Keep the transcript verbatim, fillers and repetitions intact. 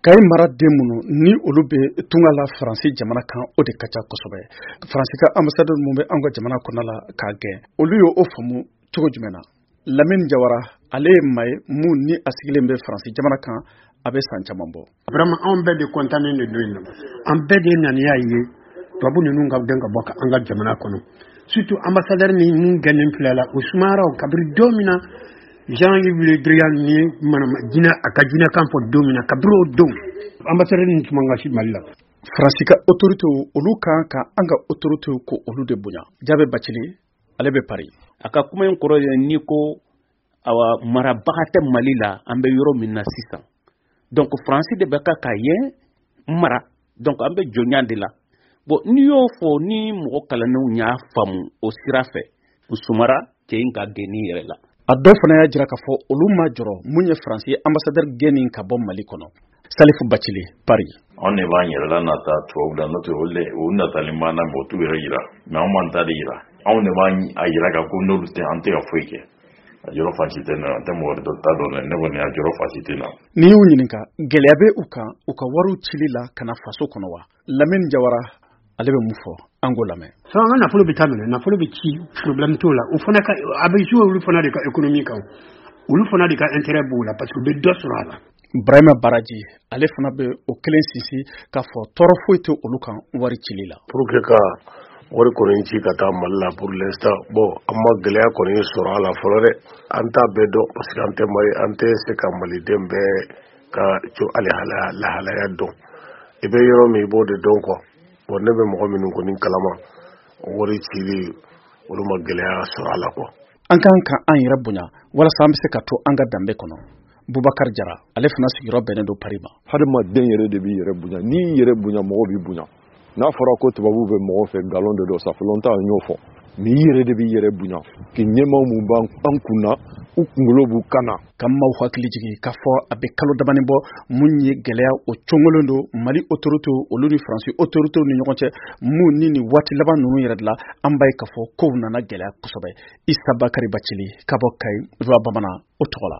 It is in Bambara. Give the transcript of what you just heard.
Kayi mara den minnu ni olu bɛ tunga la Faransi jamana kan, o de ka ca kosɛbɛ. Faransi ka ambassadeur mun bɛ an ka jamana kɔnɔ la k'a gɛn, olu ye o faamu cogo jumɛn na? Lamine Jawara, ale ye maa ye mun ni a sigilen bɛ Faransi jamana kan, a bɛ san caman bɔ. Vraiment, anw bɛɛ de kɔntannen de don yen nɔ. An bɛɛ de naniya ye tubabu ninnu ka gɛn ka bɔ an ka jamana kɔnɔ, surtout ambassadeur ni mun gɛnnen filɛ la, o sumayara o kabiri don min na Jean-Yves Le Drian ni manama jinɛ a ka jinɛkan fɔ don min na, kabiri o don ambassadeur ni tuma ka si Mali la. Faransi ka autorité, olu kan ka an ka autorité ko olu de bonya. Jaabe Bacili, ale bɛ Paris. A ka kuma in kɔrɔ ye n'i ko awa marabaga tɛ Mali la, an bɛ yɔrɔ min na sisan, donc Faransi de bɛ ka ka yen mara, donc an bɛ jɔnya de la. Bon, n'i y'o fɔ ni mɔgɔ kalannenw y'a faamu o sira fɛ, u sumara cɛ in ka gɛnni yɛrɛ la. A dɔw fana y'a jira k'a fɔ olu ma jɔrɔ mun ye Faransi ambassadeur gɛnni ka bɔ Mali kɔnɔ. Salifu Bacili, Paris. Anw de b'an yɛrɛ la nata tubabu la, n'o tɛ olu de o natalen b'an na, mɛ o t'u yɛrɛ yira, mɛ anw b'an ta de yira. Anw de b'an a yira ka ko n'olu tɛ, an tɛ ka foyi kɛ. A jɔrɔ fan si tɛ ne na, n tɛ mɔgɔ wɛrɛ ta dɔn dɛ, ne kɔni a jɔrɔ fan si tɛ na. N'i y'u ɲininka, gɛlɛya bɛ u kan u ka wariw cili la ka na faso kɔnɔ wa? Lamine Jawara, ale bɛ mun fɔ? An k'o lamɛn. So an ka nafolo bɛ taa minɛ, nafolo bɛ ci, problème t'o la. O fana ka a bɛ jouer olu fana de ka économie kan, olu fana de ka intérêt b'o la, parce que u bɛ dɔ sɔrɔ a la. Burahima Baraji, ale fana bɛ o kelen sinsin k'a fɔ tɔɔrɔ foyi tɛ olu kan wari cili la. Pour que ka wari kɔni ci ka taa Mali la, pour l'instant, bon, an ma gɛlɛya kɔni sɔrɔ a la fɔlɔ dɛ. An t'a bɛɛ dɔn, parce que an tɛ Mali, an tɛ se ka maliden bɛɛ ka co ale lahalaya dɔn. I bɛ yɔrɔ min, i b'o de dɔn quoi. Bon, ne bɛ mɔgɔ minnu kɔni kalama, wari cili, olu ma gɛlɛya sɔrɔ a la quoi. An kan ka an yɛrɛ bonya walasa an bɛ se ka to an ka danbe kɔnɔ. Bubakar Jara, ale fana sigiyɔrɔ bɛnnen don Paris ma. Hadamaden yɛrɛ de b'i yɛrɛ bonya. N'i y'i yɛrɛ bonya, mɔgɔ b'i bonya. N'a fɔra ko tubabuw bɛ mɔgɔ fɛ, nkalon de don, ça fait longtemps an y'o fɔ. Mais i yɛrɛ de b'i yɛrɛ bonya k'i ɲɛmaaw mun b'an an kun na, u kunkolo b'u kan na. Ka maaw hakili jigin k'a fɔ a bɛ kalo damani bɔ, mun ye gɛlɛya o cogolen don Mali autorité olu ni Faransi autorité ni ɲɔgɔn cɛ, mun ni nin waati laban ninnu yɛrɛ de la, an b'a ye k'a fɔ kow nana gɛlɛya kosɛbɛ. Isa Bakari Bacili ka bɔ Kayi, Voa Bamanan o tɔgɔ la.